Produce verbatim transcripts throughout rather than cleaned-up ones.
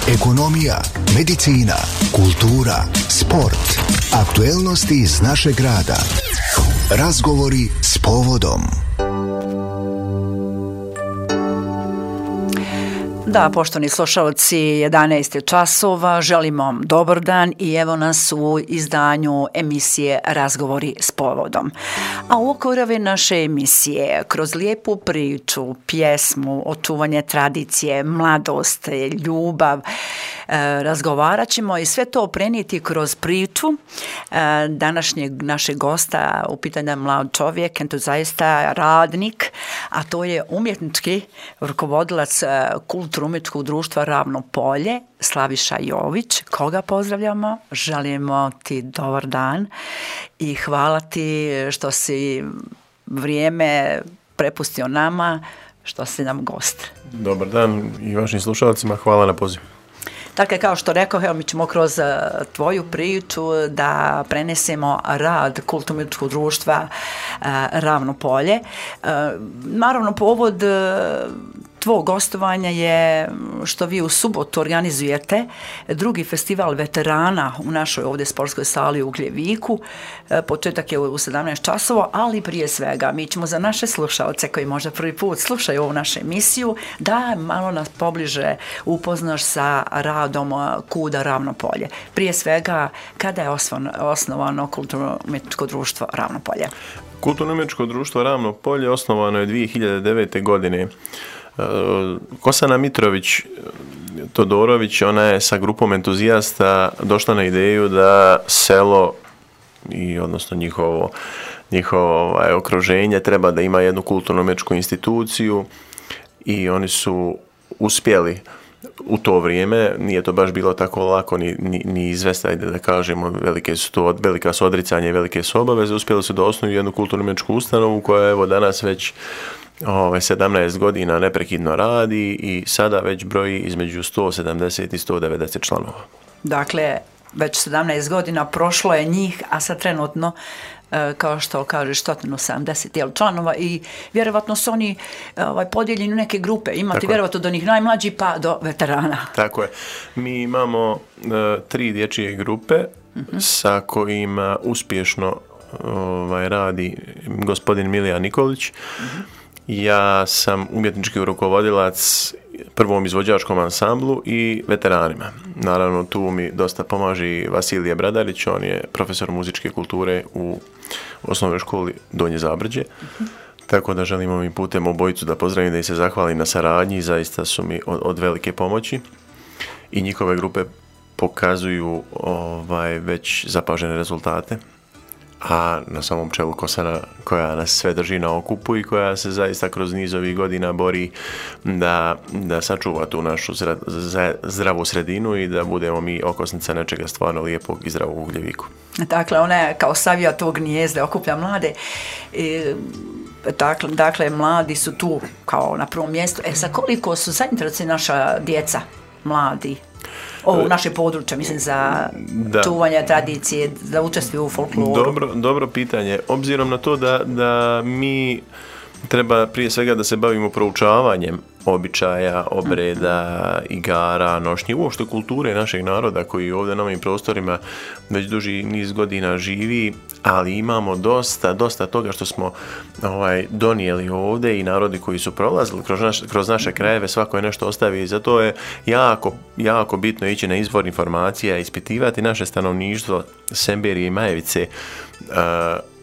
ekonomija, medicina, kultura, sport, aktuelnosti iz našeg grada. Razgovori s povodom. Da, poštovani slušalci, jedanaest je časova, želimo vam dobar dan i evo nas u izdanju emisije Razgovori s povodom. A u okviru naše emisije, kroz lijepu priču, pjesmu, očuvanje tradicije, mladost, ljubav, razgovarat ćemo i sve to prenijeti kroz priču današnjeg našeg gosta, u pitanju mlad čovjek, entuzijasta, radnik, a to je umjetnički rukovodilac kulturno-umjetničkog društva Ravno Polje, Slaviša Jović, koga pozdravljamo, želimo ti dobar dan i hvala ti što si vrijeme prepustio nama, što si nam gost. Dobar dan i vašim slušalcima, hvala na pozivu. Dakle, kao što rekao, evo mi ćemo kroz tvoju priču da prenesemo rad kulturno-umjetničkog društva Ravno Polje. Naravno, povod tvog gostovanja je što vi u subotu organizujete drugi festival veterana u našoj ovdje sportskoj sali u Gljeviku. Početak je u sedamnaest časova, ali prije svega mi ćemo za naše slušalce koji možda prvi put slušaju ovu našu emisiju da malo nas pobliže upoznaš sa radom KUD-a Ravno Polje. Prije svega, kada je osnovano kulturno-umjetničko društvo Ravno Polje? Kulturno-umjetničko društvo Ravno Polje osnovano je dvije hiljade devete. godine. Kosana Mitrović Todorović, ona je sa grupom entuzijasta došla na ideju da selo i odnosno njihovo, njihovo ovaj, okruženje treba da ima jednu kulturno-umjetničku instituciju i oni su uspjeli u to vrijeme. Nije to baš bilo tako lako ni, ni, ni izvesti, da kažemo, velike su to, velika su odricanja i velike su obaveze. Uspjeli su da osnuju jednu kulturno-umjetničku ustanovu koja evo danas već Ove, sedamnaest godina neprekidno radi i sada već broji između sto sedamdeset i sto devedeset članova. Dakle, već sedamnaest godina prošlo je njih, a sad trenutno, kao što kažeš, sto sedamdeset članova i vjerovatno su oni ovaj, podijeljeni u neke grupe. Imate Tako vjerovatno do njih najmlađi pa do veterana. Tako je. Mi imamo uh, tri dječje grupe uh-huh. sa kojima uspješno ovaj, radi gospodin Milija Nikolić. Uh-huh. Ja sam umjetnički rukovodilac prvom izvođačkom ansamblu i veteranima. Naravno, tu mi dosta pomaže Vasilije Bradarić, on je profesor muzičke kulture u osnovnoj školi Donje Zabrđe. Uh-huh. Tako da želim ovim putem obojicu da pozdravim, da im se zahvalim na saradnji, zaista su mi od, od velike pomoći i njihove grupe pokazuju ovaj, već zapažene rezultate. A na samom čelu Kosana koja nas sve drži na okupu i koja se zaista kroz niz ovih godina bori da, da sačuva tu našu zra, zdravu sredinu i da budemo mi okosnica nečega stvarno lijepog i zdravog u Gljeviku. Dakle, ona je kao savija tog gnijezda, okuplja mlade. I, dakle, dakle, mladi su tu kao na prvom mjestu. E, sa koliko su zainteresovani naša djeca, mladi? Ovo u naše područje, mislim, za da. čuvanje tradicije, za učestvuje u folkloru. Dobro, dobro pitanje. Obzirom na to da, da mi treba prije svega da se bavimo proučavanjem običaja, obreda, igara, nošnje, uopšte kulture našeg naroda koji ovdje na ovim prostorima već duži niz godina živi, ali imamo dosta, dosta toga što smo ovaj, donijeli ovdje i narodi koji su prolazili kroz, naš, kroz naše krajeve, svako je nešto ostavio i zato je jako, jako bitno ići na izvor informacija, ispitivati naše stanovništvo, Semberije i Majevice, uh,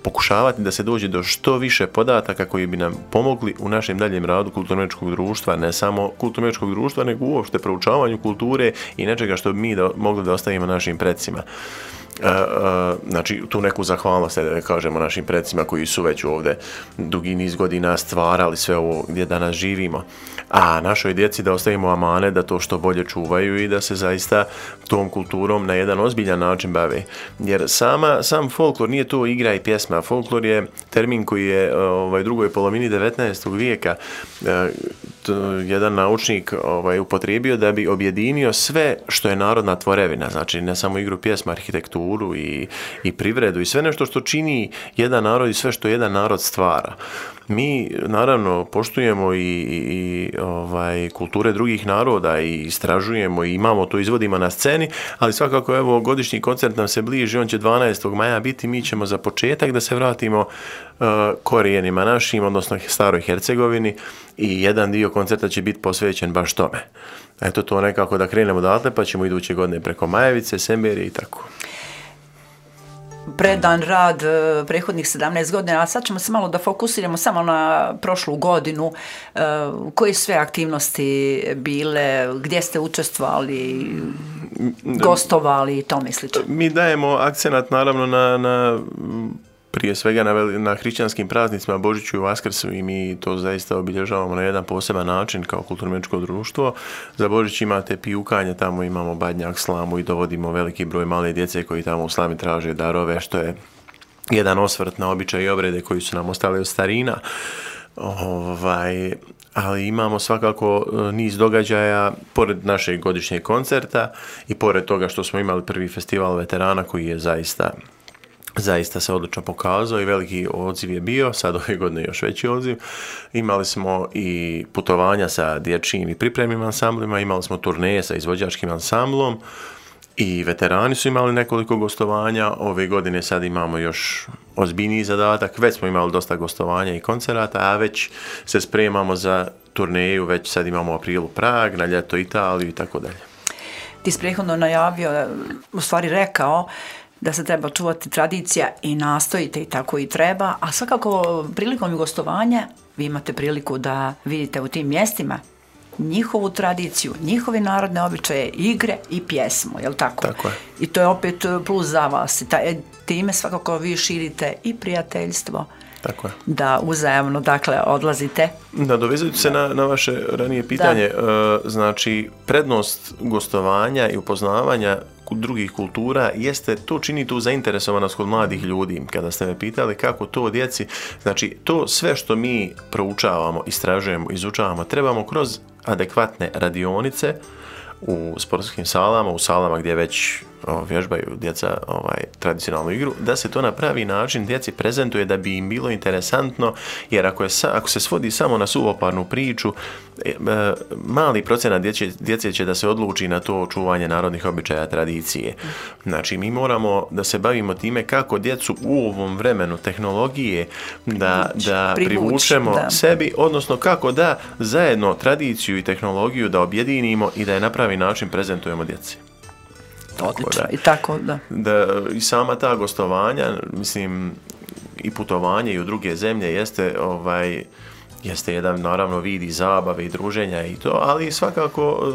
pokušavati da se dođe do što više podataka koji bi nam pomogli u našem daljem radu kulturno-umjetničkog društva, ne samo kulturno-umjetničkog društva, nego uopšte proučavanju kulture i nečega što bi mi da, mogli da ostavimo našim predsima. Uh, uh, znači tu neku zahvalnost da kažemo našim predsima koji su već ovdje dugi niz godina stvarali sve ovo gdje danas živimo, a našoj djeci da ostavimo amane da to što bolje čuvaju i da se zaista tom kulturom na jedan ozbiljan način bave, jer sama, sam folklor nije to igra i pjesma. Folklor je termin koji je ovaj, u drugoj polovini devetnaestog vijeka uh, jedan naučnik ovaj, upotrijebio da bi objedinio sve što je narodna tvorevina, znači ne samo igru pjesma, arhitekturu i, i privredu i sve nešto što čini jedan narod i sve što jedan narod stvara. Mi naravno poštujemo i, i ovaj, kulture drugih naroda i istražujemo i imamo to, izvodimo na sceni, ali svakako evo godišnji koncert nam se bliži, on će dvanaestog maja biti, mi ćemo za početak da se vratimo uh, korijenima našim, odnosno staroj Hercegovini, i jedan dio koncerta će biti posvećen baš tome. Eto to nekako da krenemo odatle, pa ćemo iduće godine preko Majevice, Semberije i tako. Predan rad prethodnih sedamnaest godina, a sad ćemo se malo da fokusiramo samo na prošlu godinu. Koje sve aktivnosti bile, gdje ste učestvovali, gostovali i tome slično? Mi dajemo akcenat naravno na, na prije svega na, na hrišćanskim praznicima Božiću i Vaskrsu, i mi to zaista obilježavamo na jedan poseban način kao kulturno-umjetničko društvo. Za Božić imate pijukanje, tamo imamo badnjak, slamu i dovodimo veliki broj male djece koji tamo u slami traže darove, što je jedan osvrt na običaj i obrede koji su nam ostali od starina. Ovaj, ali imamo svakako niz događaja pored našeg godišnjeg koncerta i pored toga što smo imali prvi festival veterana koji je zaista Zaista se odlično pokazao i veliki odziv je bio, sad ove godine još veći odziv. Imali smo i putovanja sa dječjim i pripremnim ansamblima, imali smo turneje sa izvođačkim ansamblom i veterani su imali nekoliko gostovanja. Ove godine sad imamo još ozbiljniji zadatak, već smo imali dosta gostovanja i koncerata, a već se spremamo za turneju, već sad imamo u aprilu Prag, na ljeto Italiju i tako dalje. Ti si prethodno najavio, u stvari rekao, da se treba čuvati tradicija i nastojite i tako i treba, a svakako prilikom gostovanja vi imate priliku da vidite u tim mjestima njihovu tradiciju, njihove narodne običaje, igre i pjesmu, je li tako? Tako je. I to je opet plus za vas. I time svakako vi širite i prijateljstvo. Tako je. Da uzajamno, dakle, odlazite. Da, dovezujući se na, na vaše ranije pitanje, da. Znači, prednost gostovanja i upoznavanja drugih kultura jeste, to čini tu zainteresovanost kod mladih ljudi. Kada ste me pitali kako to djeci, znači, to sve što mi proučavamo, istražujemo, izučavamo, trebamo kroz adekvatne radionice u sportskim salama, u salama gdje već o, vježbaju djeca ovaj, tradicionalnu igru, da se to na pravi način djeci prezentuje da bi im bilo interesantno, jer ako, je, ako se svodi samo na suvoparnu priču, e, e, mali procenat djece, djece će da se odluči na to čuvanje narodnih običaja, tradicije. Znači, mi moramo da se bavimo time kako djecu u ovom vremenu tehnologije da, da privučemo da. sebi, odnosno kako da zajedno tradiciju i tehnologiju da objedinimo i da je na pravi način prezentujemo djeci. Odlično, da, i tako, da. da. I sama ta gostovanja, mislim, i putovanje i u druge zemlje jeste, ovaj, jeste jedan, naravno, vid i zabave i druženja i to, ali svakako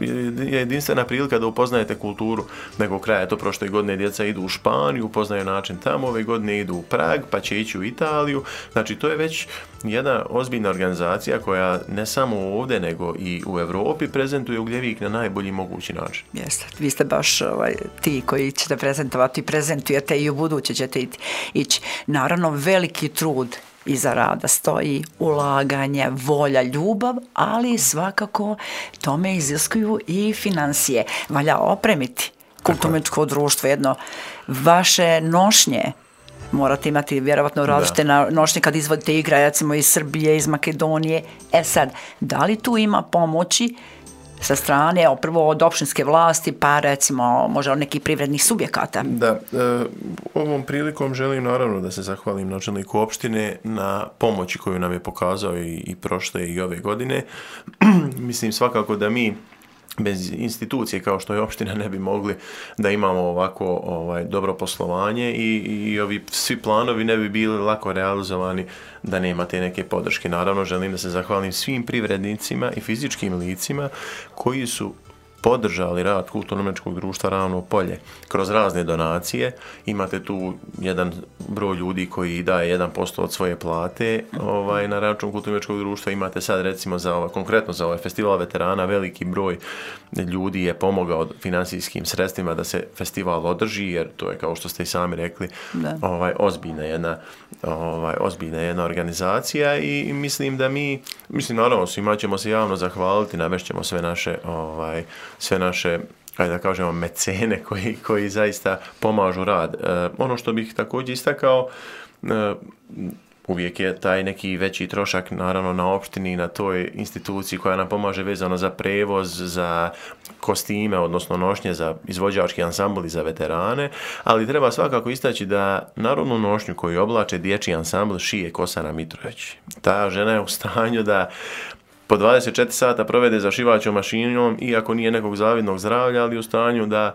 je jedinstvena prilika da upoznajete kulturu nekog kraja. To prošle godine djeca idu u Španiju, upoznaju način tamo, ove godine idu u Prag, pa će ići u Italiju. Znači, to je već jedna ozbiljna organizacija koja ne samo ovdje, nego i u Europi prezentuje Ugljevik na najbolji mogući način. Jeste, vi ste baš ovaj, ti koji ćete prezentovati, prezentujete i u buduće ćete ići. Naravno, veliki trud iza rada stoji, ulaganje, volja, ljubav, ali svakako tome iziskuju i financije. Valja opremiti kulturno-umjetničko društvo, jedno vaše nošnje. Morate imati vjerovatno različite nošnje kad izvodite igre, recimo iz Srbije, iz Makedonije. E sad, da li tu ima pomoći sa strane, prvo od opštinske vlasti, pa recimo možda od nekih privrednih subjekata? Da, e, ovom prilikom želim naravno da se zahvalim načelniku opštine na pomoći koju nam je pokazao i, i prošle i ove godine. Mislim svakako da mi bez institucije kao što je opština ne bi mogli da imamo ovako ovaj, dobro poslovanje i, i ovi svi planovi ne bi bili lako realizovani da nema te neke podrške. Naravno, želim da se zahvalim svim privrednicima i fizičkim licima koji su podržali rad kulturno-umjetničkog društva Ravno polje kroz razne donacije. Imate tu jedan broj ljudi koji daje jedan posto od svoje plate ovaj, na račun kulturno-umjetničkog društva. Imate sad recimo za ovaj, konkretno za ovaj festival veterana veliki broj ljudi je pomogao finansijskim sredstvima da se festival održi, jer to je, kao što ste i sami rekli, ovaj, ozbiljna jedna ovaj, ozbiljna jedna organizacija i mislim da mi, mislim naravno svima ćemo se javno zahvaliti, navešćemo sve naše ovaj, sve naše, ajde da kažemo, mecene koji, koji zaista pomažu rad. E, ono što bih također istakao, e, uvijek je taj neki veći trošak naravno na opštini, na toj instituciji koja nam pomaže vezano za prevoz, za kostime, odnosno nošnje za izvođački ansambl i za veterane, ali treba svakako istaći da narodnu nošnju koju oblače dječji ansambl šije Kosana Mitrović. Ta žena je u stanju da po dvadeset četiri sata provede za šivaćom mašinom, iako nije nekog zavidnog zdravlja, ali u stanju da,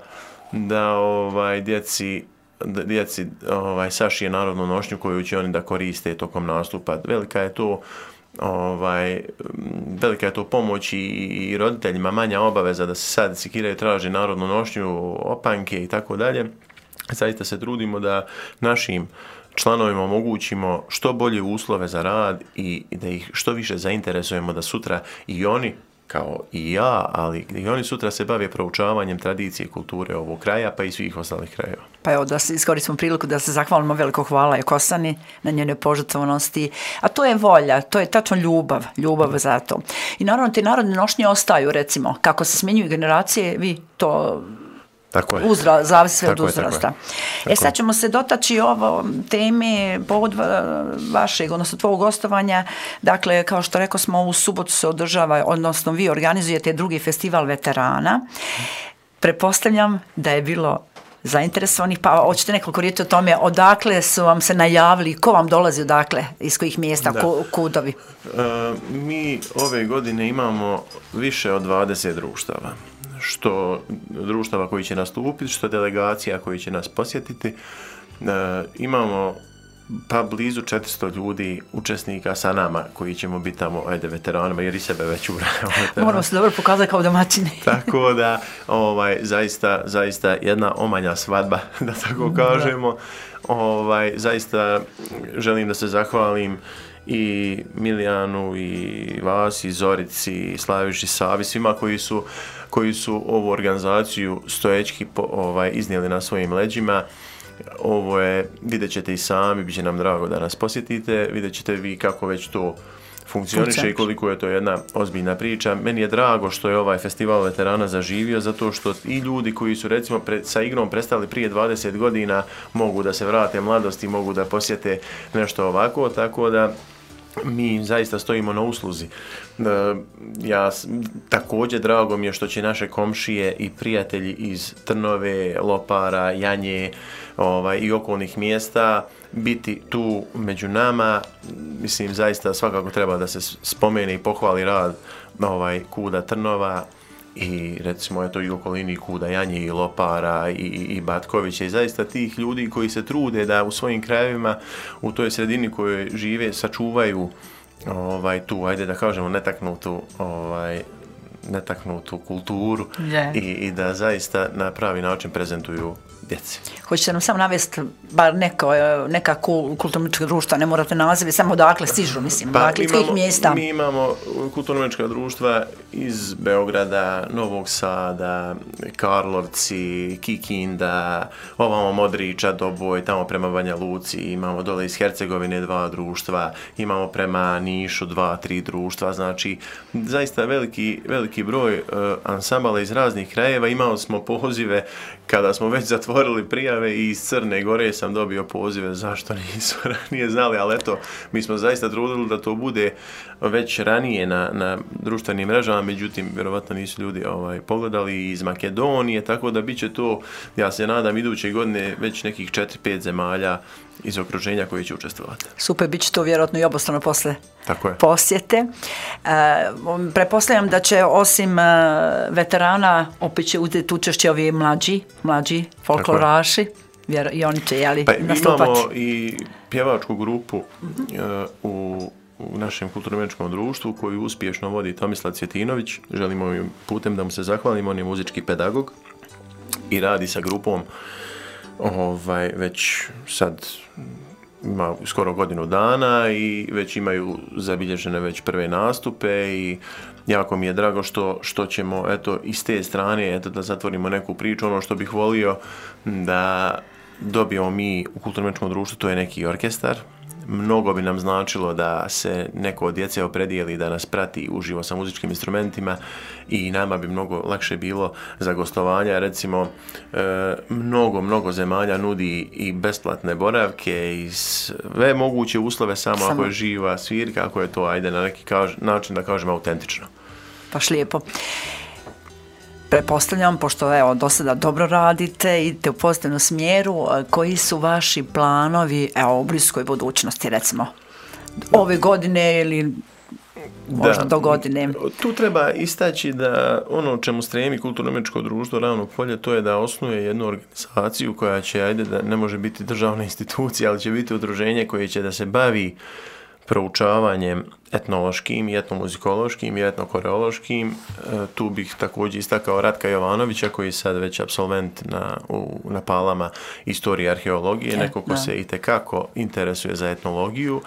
da ovaj, djeci djeci ovaj, sašije narodnu nošnju koju će oni da koriste tokom nastupa. Velika je to ovaj, velika je to pomoć i, i roditeljima, manja obaveza da se sad sikiraju, traže narodnu nošnju, opanke i tako dalje. Zaista se trudimo da našim članovima omogućimo što bolje uslove za rad i, i da ih što više zainteresujemo da sutra i oni, kao i ja, ali i oni sutra se bave proučavanjem tradicije i kulture ovog kraja, pa i svih ostalih krajeva. Pa evo, da iskoristimo priliku da se zahvalimo, veliko hvala je Kosani na njenoj požrtvovanosti, a to je volja, to je tačno ljubav, ljubav za to. I naravno, te narodne nošnje ostaju, recimo, kako se smjenjuju generacije, vi to... Tako je. Uzra, zavisi sve od je, uzrasta. tako E sad ćemo se dotaći ovo teme povod vašeg, odnosno tvojeg gostovanja. Dakle, kao što rekao smo, u subotu se održava, odnosno vi organizujete drugi festival veterana. Pretpostavljam da je bilo zainteresovanih, pa hoćete nekoliko riječi o tome, odakle su vam se najavili, ko vam dolazi odakle, iz kojih mjesta, ko, kudovi? E, mi ove godine imamo više od dvadeset društava. Što društava koji će nastupiti, što delegacija koji će nas posjetiti. E, imamo pa blizu četiristo ljudi, učesnika sa nama koji ćemo biti tamo, ajde, veteranima, jer i sebe već ubrajamo. Moramo se dobro pokazati kao domaćini. Tako da, ovaj, zaista, zaista jedna omanja svadba, da tako kažemo. Ovaj, zaista želim da se zahvalim i Milijanu, i vas, i Zorici, i Slaviši, Savi, svima koji su, koji su ovu organizaciju stojećki po, ovaj, iznijeli na svojim leđima. Ovo je, vidjet ćete i sami, bit će nam drago da nas posjetite, vidjet ćete vi kako već to funkcioniše i koliko je to jedna ozbiljna priča. Meni je drago što je ovaj festival veterana zaživio, zato što i ljudi koji su recimo pre, sa igrom prestali prije dvadeset godina mogu da se vrate mladosti, mogu da posjete nešto ovako, tako da mi zaista stojimo na usluzi. Ja, također drago mi je što će naše komšije i prijatelji iz Trnove, Lopara, Janje, ovaj, i okolnih mjesta biti tu među nama. Mislim, zaista svakako treba da se spomene i pohvali rad ovaj, Kuda Trnova i recimo je to i okolini Kuda Janje i Lopara i, i Batkovića i zaista tih ljudi koji se trude da u svojim krajevima, u toj sredini kojoj žive, sačuvaju ovaj, tu, ajde da kažemo, netaknutu ovaj, netaknutu kulturu yeah. i, i da zaista na pravi način prezentuju djeci. Hoćete nam samo navesti bar neko, neka kulturno-umjetnička društva, ne morate nazivi, samo odakle stižu, mislim, pa, dakle, iz kojih mjesta? Mi imamo kulturno-umjetnička društva iz Beograda, Novog Sada, Karlovci, Kikinda, ovamo Modriča, Doboj, tamo prema Banja Luci, imamo dole iz Hercegovine dva društva, imamo prema Nišu dva, tri društva, znači zaista veliki, veliki broj uh, ansambala iz raznih krajeva. Imali smo pozive kada smo već zatvorili prijave i iz Crne Gore sam dobio pozive, zašto nisu ranije znali, ali eto, mi smo zaista trudili da to bude već ranije na, na društvenim mrežama, međutim, vjerovatno nisu ljudi ovaj, pogledali iz Makedonije, tako da bit će to, ja se nadam, iduće godine već nekih četiri pet zemalja iz okruženja koji će učestvovati. Super, bit će to vjerojatno i obostrano posle Tako je. posjete. E, pretpostavljam da će osim e, veterana opet će uzeti učešće ovi mlađi, mlađi folkloraši, vjer, i oni će jeli, pa, nastupati. Imamo i pjevačku grupu uh-huh. e, u u našem kulturno-umjetničkom društvu koju uspješno vodi Tomislav Cvjetinović. Želimo im putem da mu se zahvalimo, on je muzički pedagog i radi sa grupom ovaj, već sad ima skoro godinu dana i već imaju zabilježene već prve nastupe i jako mi je drago što, što ćemo eto, iz te strane eto, da zatvorimo neku priču. Ono što bih volio da dobijemo mi u kulturno-umjetničkom društvu, to je neki orkestar, mnogo bi nam značilo da se neko od djece opredijeli da nas prati uživo sa muzičkim instrumentima i nama bi mnogo lakše bilo za gostovanja. Recimo, e, mnogo, mnogo zemalja nudi i besplatne boravke i sve moguće uslove samo, samo ako je živa svirka, ako je to, ajde, na neki kaž, način da kažem autentično. Baš lijepo. Pretpostavljam, pošto evo, do sada dobro radite, idete u pozitivnom smjeru, koji su vaši planovi evo, u bliskoj budućnosti, recimo, ove godine ili možda da, do godine? Tu treba istaći da ono čemu stremi Kulturno-umjetničko društvo Ravno polje, to je da osnuje jednu organizaciju koja će, ajde, da ne može biti državna institucija, ali će biti udruženje koje će da se bavi proučavanjem etnološkim i etnomuzikološkim i etnokoreološkim. E, tu bih također istakao Ratka Jovanovića, koji je sad već apsolvent na, u, na Palama istorije i arheologije, neko ko se itekako interesuje za etnologiju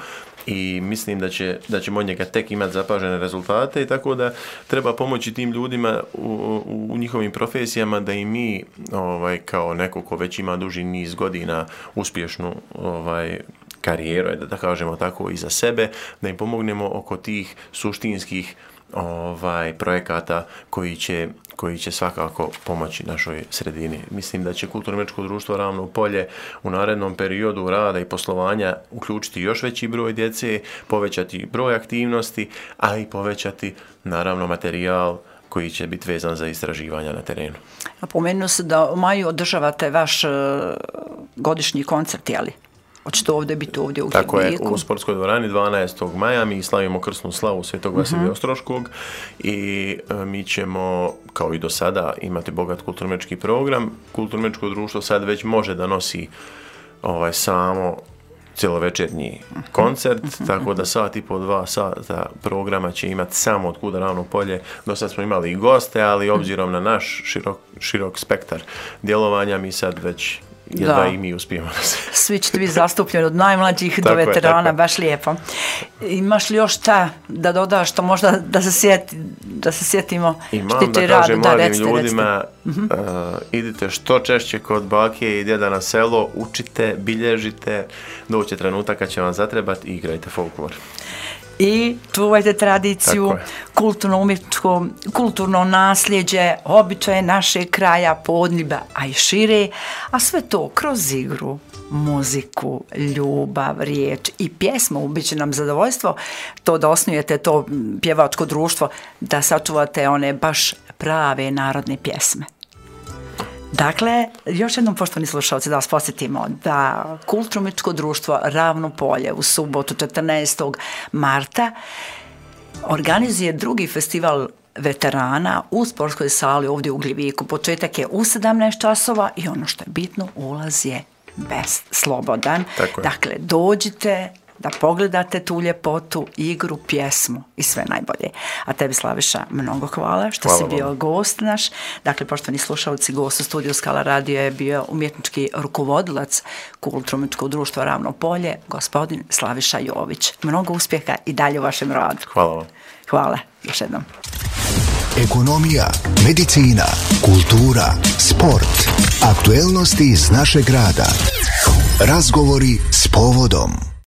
i mislim da će, da ćemo od njega tek imati zapažene rezultate i tako da treba pomoći tim ljudima u, u, u njihovim profesijama da i mi ovaj, kao neko ko već ima duži niz godina uspješnu ovaj, karijeru, da, da kažemo tako, i za sebe, da im pomognemo oko tih suštinskih ovaj, projekata koji će, koji će svakako pomoći našoj sredini. Mislim da će Kulturno-umjetničko društvo Ravno polje u narednom periodu rada i poslovanja uključiti još veći broj djece, povećati broj aktivnosti, a i povećati naravno materijal koji će biti vezan za istraživanja na terenu. Napomenuo se da u maju održavate vaš uh, godišnji koncert, je li? Hoćete ovdje biti ovdje u Hidniku? Tako je, u sportskoj dvorani dvanaestog maja mi slavimo krsnu slavu Svetog Vasilija uh-huh. Ostroškog i e, mi ćemo, kao i do sada, imati bogat kulturno-umjetnički program. Kulturno-umjetničko društvo sad već može da nosi ovaj, samo cjelovečernji koncert, uh-huh. tako da sat i po dva sata programa će imati samo Od kuda Ravno polje. Do sad smo imali i goste, ali obzirom na naš širok, širok spektar djelovanja, mi sad već jedva da. I mi uspijemo. Svi ćete biti zastupljeni od najmlađih do veterana, je, baš lijepo. Imaš li još šta da dodaš, što možda da se, sjeti, da se sjetimo? Imam da kažem mladim recite, ljudima, recite. Uh, idite što češće kod bake i djeda na selo, učite, bilježite, doće trenutak kad će vam zatrebati i igrajte folklor. I čuvajte tradiciju, kulturno-umjetničko, kulturno nasljeđe, običaje našeg kraja, Podneblja, a i šire, a sve to kroz igru, muziku, ljubav, riječ i pjesmu. Bit će nam zadovoljstvo to da osnujete to pjevačko društvo, da sačuvate one baš prave narodne pjesme. Dakle, još jednom, poštovani slušalci, da vas posjetimo da Kulturno-umjetničko društvo Ravno polje u subotu četrnaestog marta organizuje drugi festival veterana u sportskoj sali ovdje u Gliviku. Početak je u sedamnaest časova i ono što je bitno, ulaz je bez slobodan. Dakle, dođite da pogledate tu ljepotu, igru, pjesmu i sve najbolje. A tebi, Slaviša, mnogo hvala što hvala si bio vam. Gost naš. Dakle, poštovani slušalci, gost u studiju Skala radio je bio umjetnički rukovodilac Kulturno-umjetničkog društva Ravno polje, gospodin Slaviša Jović. Mnogo uspjeha i dalje u vašem radu. Hvala vam. Hvala, još jednom. Ekonomija, medicina, kultura, sport, aktuelnosti iz našeg grada. Razgovori s povodom.